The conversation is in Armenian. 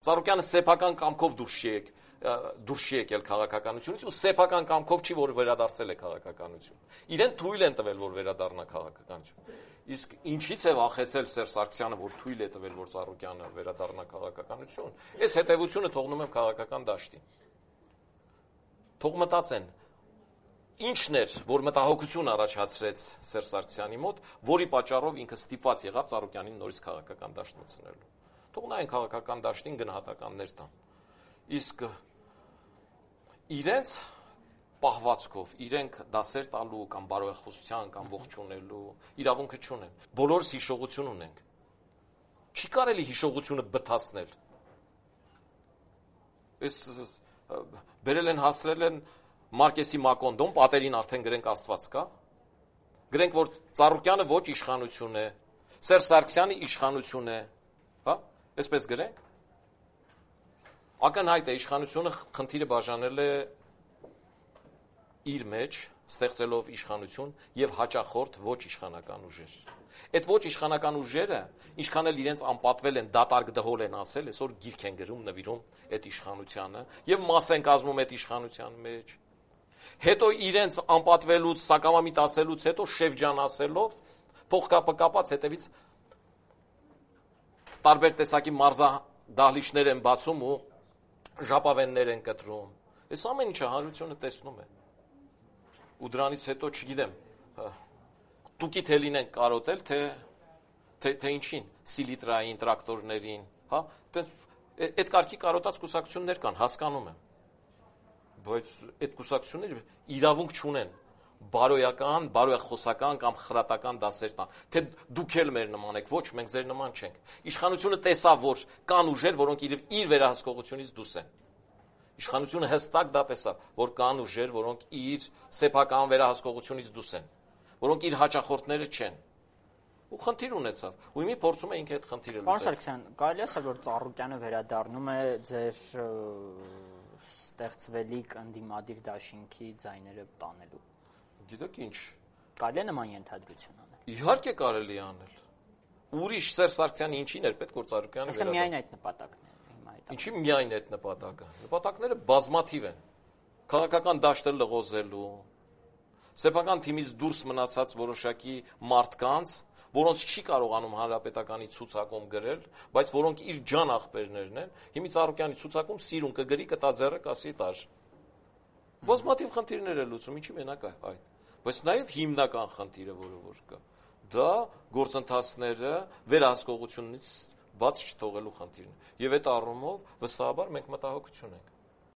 Ծառուկյանը սեփական կամքով դուրս չի եկել քաղաքականությունից ու սեփական կամքով չի, որ վերադարձել է քաղաքականություն։ Իրեն թույլ են տվել, որ վերադառնա քաղաքականություն։ Իսկ ինչից է վախեցել Սերժ Սարգսյանը, որ թույլ է տվել, որ Ծառուկյանը վերադառնա քաղաքականություն, այս հետևությունը թողնում եմ քաղաքական դաշտին։ Թող մտածեն, ինչն էր, որ մտահոգություն առաջացրեց Սերժ Սարգսյանի մոտ, որի պատճառով ինքը ստիպված եղավ Ծառուկյանին նորից քաղաքական դաշտ մտցնելու։ Թող նայեն քաղաքական դաշտին գնահատականներ տան։ Իսկ իրենց պահվածքով, իրենք դասեր տալու կամ բարոյախոսության կամ ողջունելու իրավունքը չունեն։ Բոլորս հիշողություն ունենք։ Չի կարելի հիշողությունը բթացնել։ Այս բերել են հասրել են Մարկեսի Մակոնդոն, պատերին արդեն գրենք Աստված կա։ Գրենք, որ Ծառուկյանը ոչ իշխանություն է, Սերժ Սարգսյանը իշխանություն է, հա? Այսպես գրենք։ Ակնհայտ է իշխանությունը խնդիրը բաժանել է իր մեջ, ստեղծելով իշխանություն եւ հաճախորդ ոչ իշխանական ուժեր։ Այդ ոչ իշխանական ուժերը, ինչքան էլ իրենց անպատվել են, դատարկ դհոլ են ասել, այսօր գիրք են գրում, նվիրում այդ իշխանությանը եւ մաս են կազմում այդ իշխանության մեջ։ Հետո իրենց անպատվելուց, սակամամիտ ասելուց հետո շեվջան ասելով, փողկապը կապած հետևից տարբեր տեսակի մարզադահլիճներ են բացում ու ժապավեններ են կտրում։ Այս ամեն ինչը հանրությունը տեսնում է։ Ու դրանից հետո չգիտեմ, տուկի թելին են կարոտել, թե ինչին, սիլիտրային, տրակտորներին, հա, այդ կարգի կարոտած կուսակցություններ կան, հասկանում եմ, բայց այդ կուսակցությունները իրավունք չունեն, բարոյական, բարոյախոսական կամ խրատական դասեր տան, թե դուք էլ մեր նման եք, ոչ, մենք ձեր նման չենք, իշխանությունը տեսավ, որ կան ուժեր, որոնք իր վերահսկողությունից դուրս են, իշխանությունը հստակ դա տեսավ, որ կան ուժեր, որոնք իր սեփական վերահսկողությունից դուրս են, որոնք իր հաճախորդները չեն։ Ու խնդիր ունեցավ։ Ու իմի փորձում է ինքը այդ խնդիրը լուծել։ Պարոն Սարգսյան, կարելի է ասել, որ Ծառուկյանը վերադառնում է ձեր ստեղծվելիք ընդդիմադիր դաշինքի ձայները տանելու։ Գիտեք ինչ։ Կարելի է նման ենթադրություն անել։ Իհարկե կարելի է անել։ Ուրիշ Սերժ Սարգսյանը ինչին էր պետք որ Ծառուկյանը վերադառնա։ Իսկ միայն այդ նպատակն է հիմա այդ։ Ինչի միայն այդ նպատակը։ Նպատակները բազմաթիվ են։ Քաղաքական դաշտը լղոզելու, սեփական թիմից դուրս մնացած որոշակի մարդկանց, որոնց չի կարողանում հանրապետականի ցուցակում գրել, բայց որոնք իր ջան աղբերներն են, հիմի Ծառուկյանի ցուցակում սիրուն կգրի կտա ձեռը կասի տար։ Բազմաթիվ խնդիրներ է լուծում, ինչի մենակ է այդ։ Բայց նաև հիմնական խնդիրը, որը կա, դա գործընթացները վերահսկողությունից բաց չթողելու խնդիրն է։ Եվ այդ առումով վստահաբար մենք մտահոգություն ենք։